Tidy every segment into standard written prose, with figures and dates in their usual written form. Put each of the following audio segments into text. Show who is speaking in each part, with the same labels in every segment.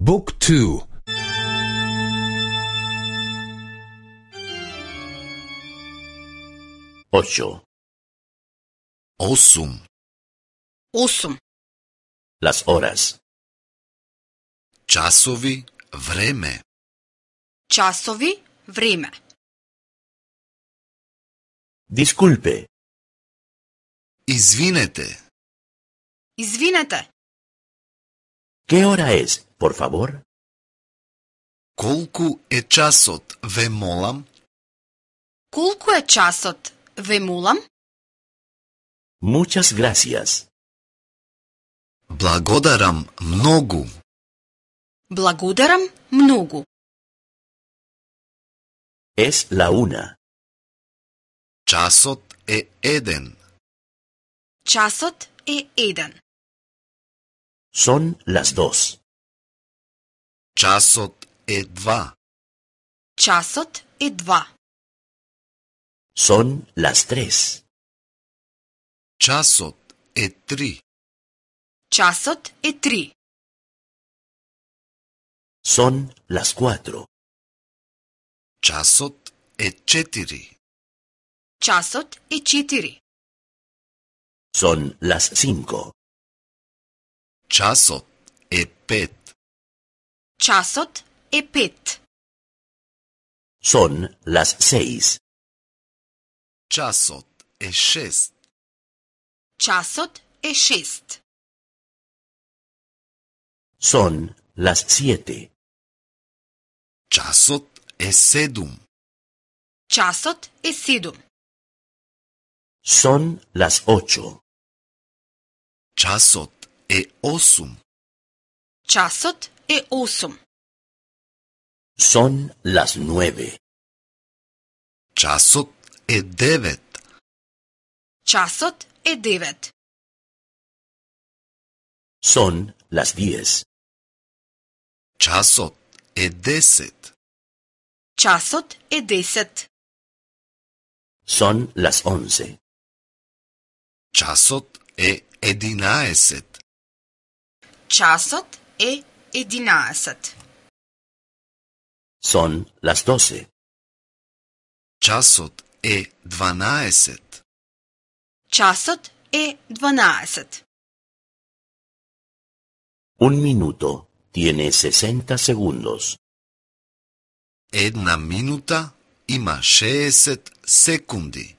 Speaker 1: Book 2.
Speaker 2: Ocho.
Speaker 3: 8.
Speaker 4: 8.
Speaker 2: Las horas.
Speaker 3: Часови, време.
Speaker 4: Часови, време.
Speaker 2: Disculpe.
Speaker 3: Извинете.
Speaker 4: Извинете,
Speaker 2: ¿Qué hora es, por favor?
Speaker 3: Колку е часот, ве молам?
Speaker 4: колку е часот, ве молам?
Speaker 2: Muchas gracias.
Speaker 3: Благодарам многу.
Speaker 4: Благодарам многу.
Speaker 2: Es la 1.
Speaker 3: Часот е 1.
Speaker 4: Часот е 1.
Speaker 2: Son las 2.
Speaker 3: Часот е 2.
Speaker 4: Часот е 2.
Speaker 2: Son las 3.
Speaker 3: Часот е 3.
Speaker 4: Часот е 3.
Speaker 2: Son las 4.
Speaker 3: Часот е 4.
Speaker 4: Часот е 4.
Speaker 2: Son las 5.
Speaker 3: Часот е 5.
Speaker 4: Часот е 5.
Speaker 2: Son las 6.
Speaker 3: Часот е 6.
Speaker 4: Часот е 6.
Speaker 2: Son las 7.
Speaker 3: Часот е 7.
Speaker 4: Часот е 7.
Speaker 2: Son las 8.
Speaker 3: Часот е 8.
Speaker 4: Часот е 8.
Speaker 2: Son las 9.
Speaker 3: Часот е 9.
Speaker 4: Часот е 9.
Speaker 2: Son las 10.
Speaker 3: Часот е 10.
Speaker 4: Часот е 10.
Speaker 2: Son las 11.
Speaker 3: Часот е 11.
Speaker 4: Часот е 11.
Speaker 2: Son las 12.
Speaker 3: Часот е 12.
Speaker 4: Часот е 12.
Speaker 2: Un minuto tiene 60 segundos.
Speaker 3: Една минута има 60 секунди.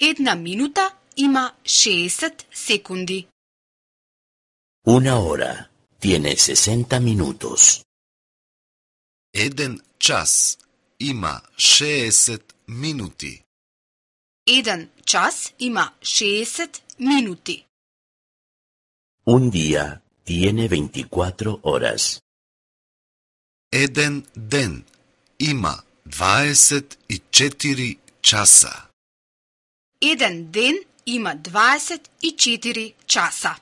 Speaker 4: Една минута има 60 секунди.
Speaker 2: Una hora tiene 60 minutos.
Speaker 3: Еден час има 60 минути.
Speaker 4: Еден час има 60 минути.
Speaker 2: Un día tiene 24 horas.
Speaker 3: Еден ден има 24 часа.
Speaker 4: Еден ден има 24 часа.